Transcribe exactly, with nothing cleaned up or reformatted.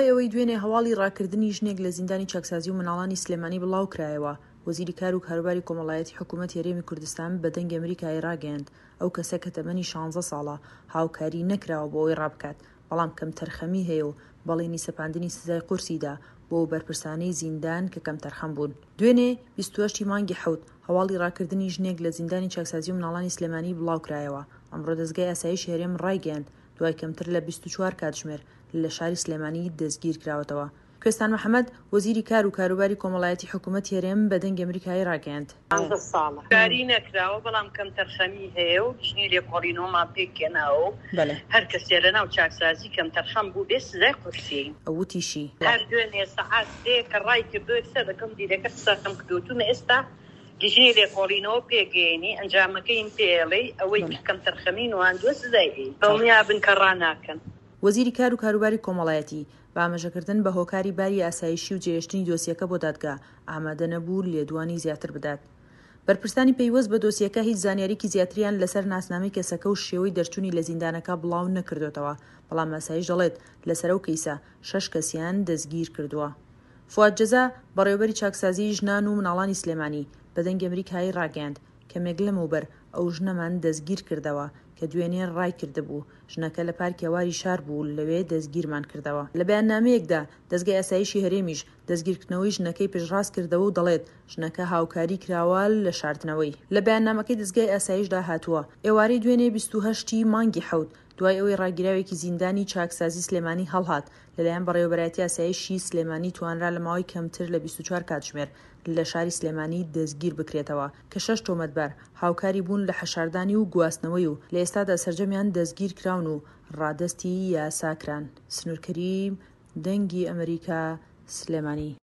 دوای ئەوەی دوێنێ هەواڵی ڕاکردنی ژنێک لە زیندانی چاکسازی و مناڵانی سلێمانی بڵاوکرایەوە، وەزیری کار و کاروباری کۆمەڵایەتی حکوومەتی هەرێمی کوردستان بە دەنگی ئەمریکای ڕاگەیاند، ئەو کەسە کە تەمەنی شانزە ساڵە هاوکاری نەکراوە بۆ ئەوەی ڕابکات، بەڵام کەمتەرخەمی هەیە و بەڵێنی سەپاندنی سزای قورسی دا بۆ ئەو بەرپرسانەی زیندان کە کەمتەرخەم بوون. دوێنێ بیست و هەشت ی مانگی حەوت هەواڵی ڕاکردنی ژنێک لە زیندانی چاکسازی و مناڵانی سلێمانی بڵاوکرایەوە، ئەمڕۆ دەزگای ئاسایشی هەرێم ڕایگەیاند دوای کەمتر لە بیست و چوار کاتژمێر لە شاری سلێمانی دەستگیرکراوەتەوە. کوێستان محەمەد، وەزیری کار و کاروباری کۆمەڵایەتی حکوومەتی هەرێم بە دەنگی ئەمریکای ڕاگەیاند. پانزە ساڵە کاری نەکراوە، بەڵام کەمتەرخەمی هەیە و لیژنەی لێکۆڵینەوەمان پێکهێناوە و هەر کەسێ لەناو چاکسازی کەمتەرخەم بووبێ سزای قورسی. ئەو وتیشی. هەر دوێنێ سەعات سێ کە ڕایکردووە یەکسەر لەگەڵ مدیرەکە قسەم کردووە وتومە ئێستا لیژنەی لێکۆڵینەوە پێکگەیەنی ئەنجامەکەیم پێڵێی ئەوەی کە کەمتەرخەمی نواندووە سزای ئەین دڵنیابن کە ڕاناکەن. وەزیری کار و کاروباری کۆمەڵایەتی، بە ئاماژەکردن بە هۆکاری باری ئاسایشی و جێهێشتنی دۆسیەکە بۆ دادگا، ئامادە نەبوو لێدوانی زیاتر بدات. بەرپرسانی پەیوەست بە دۆسیەکە هیچ زانیاریکی زیاتریان لەسەر ناسنامەی کەسەکە و شێوەی دەرچوونی لە زیندانەکە بڵاو نەکردۆتەوە، بەڵام ئاسایش دەڵێت لەسەر ئەو کەیسە شەش کەسیان دەستگیرکردووە. فواد جەزا، بەڕێوەبەری چاکسازیی ژنان و مناڵانی سلێمانی، بە دەنگی ئەمریکای ڕاگەیاند، کەمێک لەمەوبەر ئەو ژنەمان دەستگیرکردەوە کە دوێنێ ڕایکردبوو، ژنەکە لە پارکی هەواری شار بوو لەوێ دەستگیرمان کردەوە. لە بەیاننامەیەکدا دەزگای ئاسایشی هەرێمیش دەستگیرکردنەوەی ژنەکەی پشتڕاست کردەوە و دەڵێت، ژنەکە هاوکاری کراوە لە شاردنەوەی. لە بەیاننامەکەی دەزگای ئاسایشدا هاتووە، ئێوارەی دوێنێ بیست و هەشت ی مانگی حەوت دوای ئەوەی ڕاگیراوێکی زیندانی چاکسازی سلێمانی هەڵهات لەلایەن بەڕێوەبەرایەتی ئاسایشی سلێمانی توانرا لە ماوەی کەمتر لە بیست و چوار کاتژمێر لە شاری سلێمانی دەستگیر بکرێتەوە کە شەش تۆمەتبار هاوکاری بوون لە حەشاردانی و گواستنەوەی و لە ئێستادا سەرجەمیان دەستگیر کراون و ڕادەستی یاسا کران. سنوور کەریم، دەنگی ئەمەریکا، سلێمانی.